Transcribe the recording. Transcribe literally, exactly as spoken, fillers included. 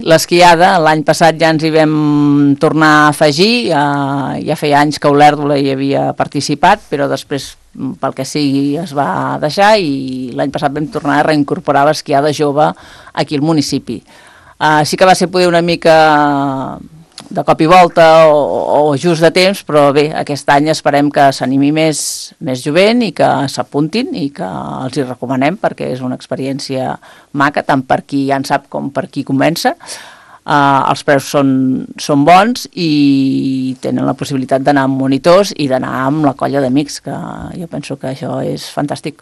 L'esquiada, l'any passat ja ens hi vam tornar a afegir, eh, ja feia anys que Olèrdola hi havia participat, però després, pel que sigui, es va deixar i l'any passat vam tornar a reincorporar l'esquiada jove aquí al municipi. Eh, sí que va ser poder una mica de cop i volta o, o just de temps, però bé, aquest any esperem que s'animi més, més jovent i que s'apuntin i que els hi recomanem perquè és una experiència maca, tant per qui ja en sap com per qui comença. Uh, els preus són, són bons i tenen la possibilitat d'anar amb monitors i d'anar amb la colla d'amics, que jo penso que això és fantàstic.